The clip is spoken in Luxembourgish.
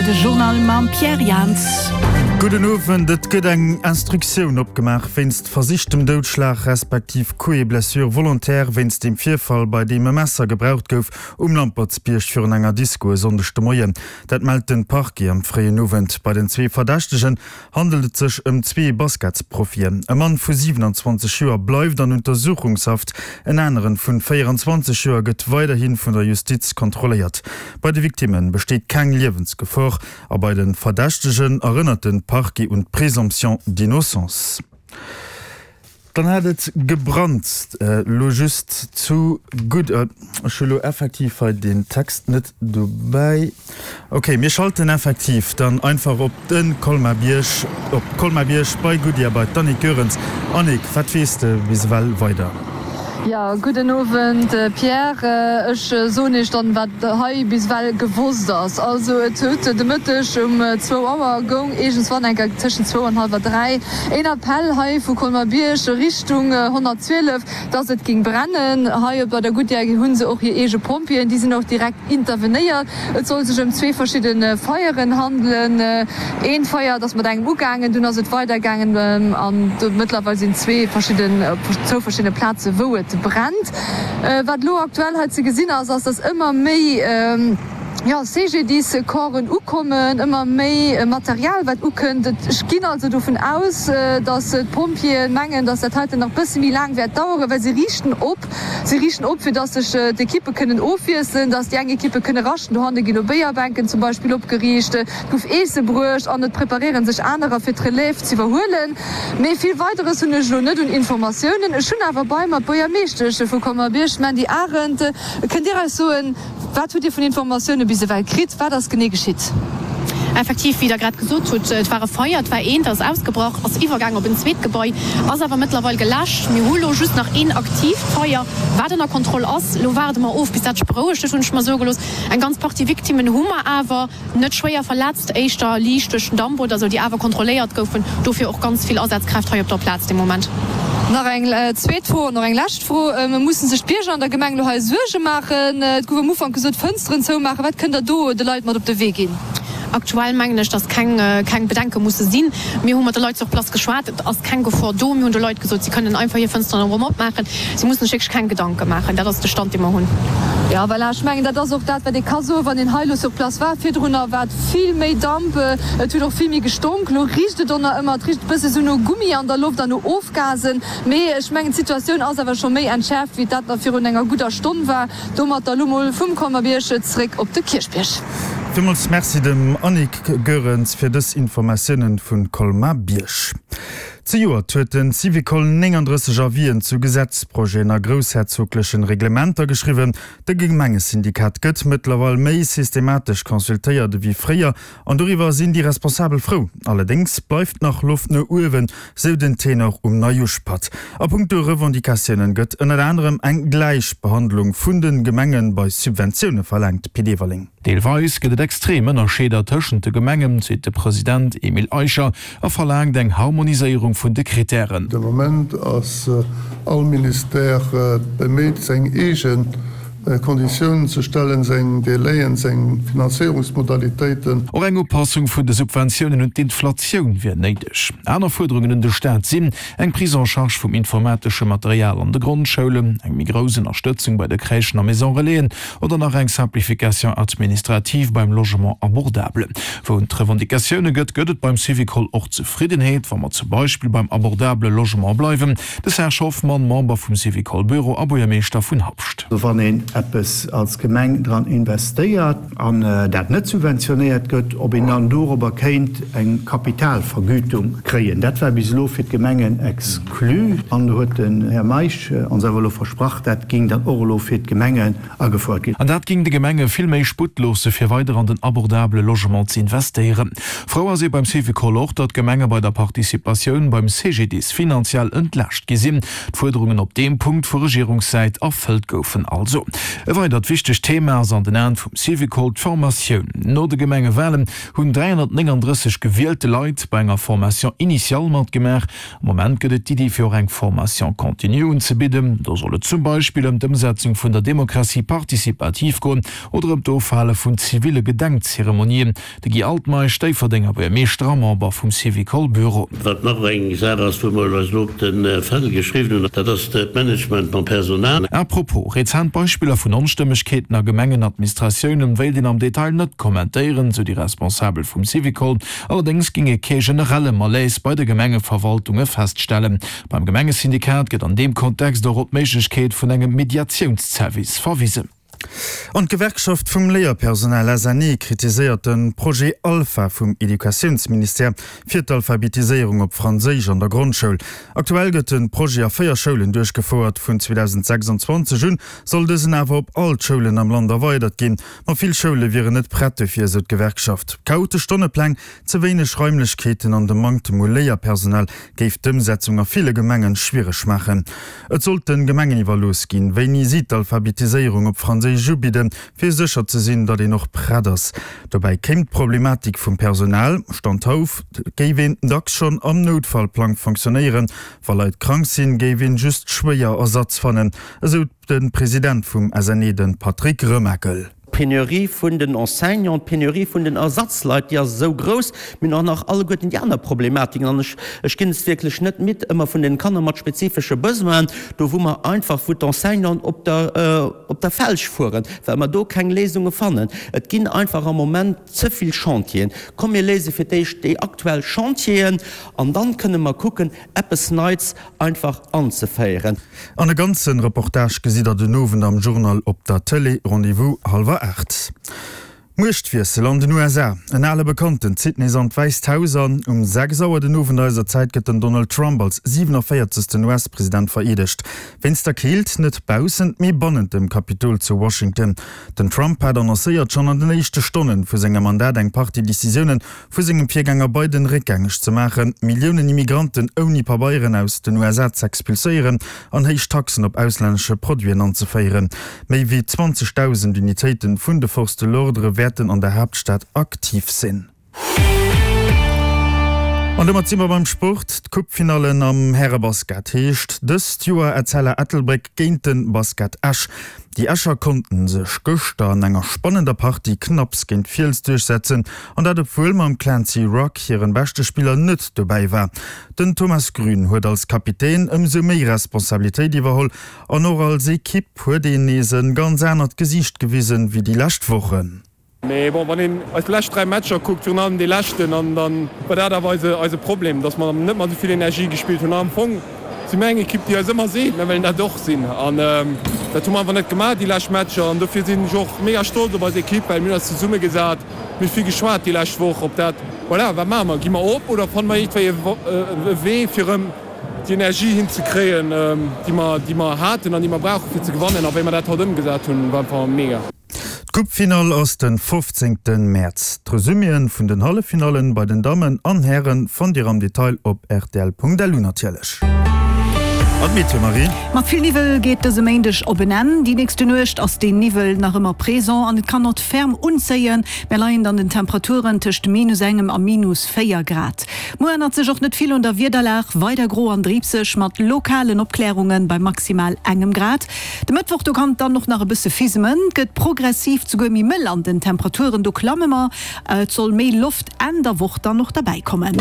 rtl, de Journal mam Pierre Jans. Gudden Owend. Et gëtt eng Instruktioun opgemaach wéinst versichtem Doudschlag respektiv Coups et blessures volontaires wéinst dem Virfall, bei deem e Messer gebraucht gouf um Lampertsbierg virun enger Disko e Sonndeg de Moien. Dat mellt de Parquet am fréien Owend. Bei den zwee Verdächtegen handelt et sech ëm zwee Basketsprofien. E Mann vu 27 Joer bleift an Untersuchungshaft, en aneren vun 24 Joer gëtt weiderhi vun der Justiz kontrolléiert. Bei de Victimme besteet keng Liewensgefor a bei de Verdächtegen erënnert de Parquet un d'Présomption d'innocence. Dann hat et gebrannt, elo just zu gutt. Ech hu lo effektiv hei den Text net dobäi. Ok, mir schalten effektiv dann einfach op de Colmar-Bierg, op Colmar-Bierg bei Goodyear bei d'Annick Goerens. Annick, wat weess de bis ewell weider? Jo, gudden Owend Pierre. Ech soen Iech dann, wat hei bis ewell gewosst ass. Also et huet de Mëtteg um zwou Auer goung iergendswann eng Kéier tëschent zwou an hallwer 3 een Appell hei vu Colmer-Bierg Richtung 112, dass et géing brennen. Hei bei der Goodyear hu se och hir eege Pompjeeën, déi sinn och direkt intervenéiert. Et soll sech ëm zwee verschidde Feieren handelen. Eent Feier, dat ass mat engem ugaangen, dunn ass et weidergaangen an mëttlerweil sinn zwee verschidden, op zwou verschiddene Plaze wou et brennt. Wat elo aktuell hei ze gesinn ass, ass dass ëmmer méi, jo, CGDIS-Corpsen ukommen, ëmmer méi Material wat ukënnt. Ech ginn also dovun aus, dass d'Pompjeeë mengen, dass dat heiten nach bësse méi laang wäert daueren, well se riichten op. Si riichten op, fir dass sech d'Ekippe kënnen ofwiesselen, dass déi eng Ekippe kënne raschten. Dohanne ginn elo Béierbänken zum Beispill opgeriicht, et gouf Eesse bruecht an et preparéiere sech anerer, fir d'Relève z'iwwerhuelen. Mee vill Weideres hunn ech elo net un Informatiounen. Ech hunn awer bei mer d'Buergermeeschtesch vu Colmar-Bierg, d'Mandy Arendt. Kënnt Dir eis soen, Wat hutt Dir vun Informatioune bis ewell kritt? Wat ass genee geschitt? Effektiv, wéi Der grad gesot hutt, et war e Feier, et war eent, ass ausgebrach, ass iwwergaang op en zweet Gebai, ass awer mëttlerweil geläscht. Mir hu lo just nach een aktiivt Feier, wat ënner Kontroll ass. Lo waarde mer of, bis dat sech berouegt huet, hunn ech mer soe gelooss. Eng ganz Partie Victimmen hu mer awer. Net schwéier verletzt, éischter liicht duerch den Damp oder sou, déi awer kontrolléiert goufen. Dofir och ganz vill Asazkräft hei op der Plaz de Moment. Nach eng zweet Fro an och eng lescht Fro, Mussen sech d'Bierger an der Gemeng elo hei Suerge maachen? Et gouf am Ufank gesot, Fënsteren zoumaachen. Wat kënnt Der do de Leit mat op de Wee ginn? Aktuell mengen ech, datt keng keng Bedenke musse sinn. Mir hu mat de Leit sur place geschwat. Et ass keng Gefor do. Mir hunn de Leit gesot, si kënnen einfach hir Fënsteren erëm opmaachen. Si mussen sech wierklech keng Gedanke maachen. Dat ass de Stand, dee mer hunn. Jo, voilà, ech mengen, dat ass och dat, wat ee ka soen, wann een hei elo sur place war. Virdrunner war et vill méi Damp, et huet och vill méi gestonk. Elo richt et och nach ëmmer, et richt e bësse sou no Gummi an der Loft an no Ofgasen. Mee ech mengen, d'Situatioun ass awer scho méi entschäerft, wéi dat nach virun enger gudder Stonn war. Domatter elo mol vum Colmer-Bierg zeréck op de Kierchbierg. Villmools Merci dem Annick Goerens fir dës Informatiounen vun Colmar-Bierg. Zejoert huet de Syvicol 39 Avisen zu Gesetzprojeten a groussherzoglechen Reglementer geschriwwen. De Gemengesyndikat gëtt mëttlerweil méi systematesch consultéiert ewéi fréier an doriwwer sinn déi Responsabel frou. Allerdéngs bleift nach Loft no uewen, sou den Tenor um Neiuschpatt. A punkto Revendicatiounen gëtt ënnert anerem eng Gläichbehandlung vun de Gemenge bei Subventioune verlaangt. Pit Everling. Deelweis gëtt et extrem Ënnerscheeder tëschent de Gemengen, seet de President Emile Eicher a verlaangt eng Harmoniséierung vun de Krittären. De Moment ass all Ministère beméit, seng eege Konditiounen ze stellen, seng Délaiën, seng Finanzéierungsmodalitéiten. Och eng Upassung vun de Subventiounen un d'Inflatioun wier néideg. Aner Fuerderungen un de Staat sinn, eng Prise en charge vum informatesche Material an de Grondschoulen, eng méi grouss Ënnerstëtzung bei de Crèchen a Maison Relaisen, Oder nach eng Simplification administrative beim Logement abordable. Wou et Revendicatioune gëtt, gëtt et beim Syvicol och Zefriddenheet, wa mer zum Beispill beim abordable Logement bleiwen. De Serge Hoffmann, Member vum Syvicol-Büro a Buergermeeschter vun Habscht. Wann een eppes als Gemeng dran investéiert an dat net subventionéiert gëtt, ob een dann dorobber kéint eng Kapitalvergütung kréien. Dat war bis elo fir d'Gemengen exclu an do huet den Här Meisch ons awer elo versprach, dat géing dann och elo fir d'Gemengen agefouert ginn. An dat géing de Gemenge vill méi Sputt loosse fir weider an den abordabele Logement ze investéieren. Frou ass ee beim Syvicol och, datt d'Gemenge bei der Participatioun beim CGDIS finanziell entlaascht gi sinn. D'Fuerderungen op deem Punkt vu Regierungssäit erfëllt goufen also. E weidert wichtegt Thema ass an den Aen vum Syvicol d'Formatioun. No de Gemengewalen hunn 339 gewielte Leit bei enger Formation initiale matgemaach. Am Moment gëtt et d'Iddi fir och eng Formation continue unzebidden. Do soll et zum Beispill ëm d'Ëmsetzung vun der Démocratie participative goen oder ëm d'Ofhale vun ziville Gedenkzeremonien. De Guy Altmeisch, Déifferdenger Buergermeeschter a Member vum Syvicol-Büro. Wat nach eng Saach ass, wou mer eis elo op de Fändel geschriwwen hunn, dat ass d'Management mam Personal. À propos, rezent Beispiller vun Onstëmmegkeeten a Gemengenadministratiounen wéilt een am Detail net kommentéieren, sou déi Responsabel vum Syvicol. Allerdéngs géing ee kee generelle Malaise bei de Gemengeverwaltunge feststellen. Beim Gemengesyndikat gëtt an deem Kontext och op d'Méiglechkeet vun engem Mediatiounsservice verwisen. An d'Gewerkschaft vum Léierpersonal SNE kritiséiert de Projet Alpha vum Educatiounsministère fir d'Alphabetiséierung op Franséisch an der Grondschoul. Aktuell gëtt de Projet a 4 Schoulen duerchgefouert. Vun 2026 un soll dësen awer op all d'Schoulen am Land erweidert ginn. Ma vill Schoule wieren net prett dofir, esou d'Gewerkschaft. Chaotesch Stonnepläng, ze wéineg Raimlechkeeten an de Manktem u Léierpersonal géif d'Ëmsetzung a ville Gemengen schwiereg maachen. Et sollt de Gemengen iwwerlooss ginn, wéini si d'Alphabetiséierung op Franséisch ubidden, fir sécher ze sinn, datt een och prett ass. Dobäi kéim d'Problematik vum Personal. Stand haut géif een dacks schonn am Noutfallplang fonctionnéieren. Wa Leit krank sinn, géif een just schwéier Ersatz fannen, esou de President vum SNE, de Patrick Remakel. D'Penurie vun den Enseignanten, d'Penurie vun den Ersatzleit, déi ass esou grouss. Mir hunn och nach alleguerten déi aner Problematiken, an ech, ech ginn es wierklech net midd, ëmmer vun den Kanner mat spezifesche Besoinen, do wou mer einfach, wou d'Enseignanten op der, op der Felg fueren, well mer do keng Léisunge fannen. Et ginn einfach am Moment ze vill Chantieren. Komm mir léise fir d'éischt déi aktuell Chantieren an dann kënne mer kucken, eppes Neits einfach anzeféieren. An e ganzen Reportage gesitt der den Owend am Journal op der Tëlee. Rendez-vous hallwer 8. Muechtwiessel an den USA, En ale Bekannten zitt nees an d'Wäisst Haus an. Um 6 Auer den Owend eiser Zäit gëtt den Donald Trump als 47. US-President vereedegt. Wéinst der Keelt net baussent, mee bannent dem Kapitol zu Washington. Den Trump hat annoncéiert, schonn an den éischte Stonne vu sengem Mandat eng Partie Decisiounen vu sengem Virgänger Biden réckgängeg ze maachen, Milliounen Immigranten ouni Pabeieren aus den USA z'expulséieren an héich Taxen op auslännesche Produiten anzeféieren. Méi wéi 20.000 Unitéite vun de Forces de l'ordre wäerten an der Haaptstad aktiv sinn. An domat si mer beim Sport. D'Coupefinallen am Härebasket heescht dëst Joer Etzella Ettelbréck géint de Basket Esch. Déi Escher konnten sech gëschter an enger spannender Partie knapps géint Fiels duerchsetzen, an dat obwuel mam Clancy Rugg hiren beschte Spiller net dobäi war. Den Thomas Grün huet als Kapitän ëmsou méi Responsabilitéit iwwerholl an och als Ekipp huet een nees en ganz anert Gesiicht gewisen wéi déi lescht Wochen. Mee bon, wann een eis lescht 3 Matcher kuckt, virun allem dee leschten, an dann war dat awer eise eise Problem, dass mer net mat esou vill Energie gespillt hunn. An am Fong si mir eng Ekipp, déi eis ëmmer seet, mir wëllen dat och sinn. An dat hu mer einfach net gemaach déi lescht Matcher. An dofir sinn ech och mega stolz op eis Ekipp, well mir hunn eis zesummegesat, mir hu vill geschwat déi lescht Woch, ob dat, voilà, wat maache mer, gi mer op oder fanne mer iergendwéi e Wee fir erëm déi Energie hinzekréien, déi mer, déi mer haten an déi mer brauchen, fir ze gewannen. A wéi mer dat haut ëmgesat hunn, war einfach mega. D'Coupefinall ass de 15 Mäerz. D'Resuméen vun den Halleffinallen bei den Dammen an Hären fannt dir am Detail op rtl.lu natierlech. An d'Meteo, Marie? Mat vill Niwwel geet dëse Méindeg op en Enn. Déi nächste Nuecht ass deen Niwwel nach ëmmer présent an et kann och ferm unzéien. Mär leien dann den Temperaturen tëscht minus engem a minus 4 Grad. Muer ännert sech och net vill un der Wiederlag, weider gro an driibseg mat lokalen Opklärunge bei maximal engem Grad. De Mëttwoch do kann et dann och nach e bësse fismen, et gëtt progressiv souguer méi mëll an den Temperaturen do klamme mer. Et soll méi Loft Enn der Woch dann och derbäi kommen.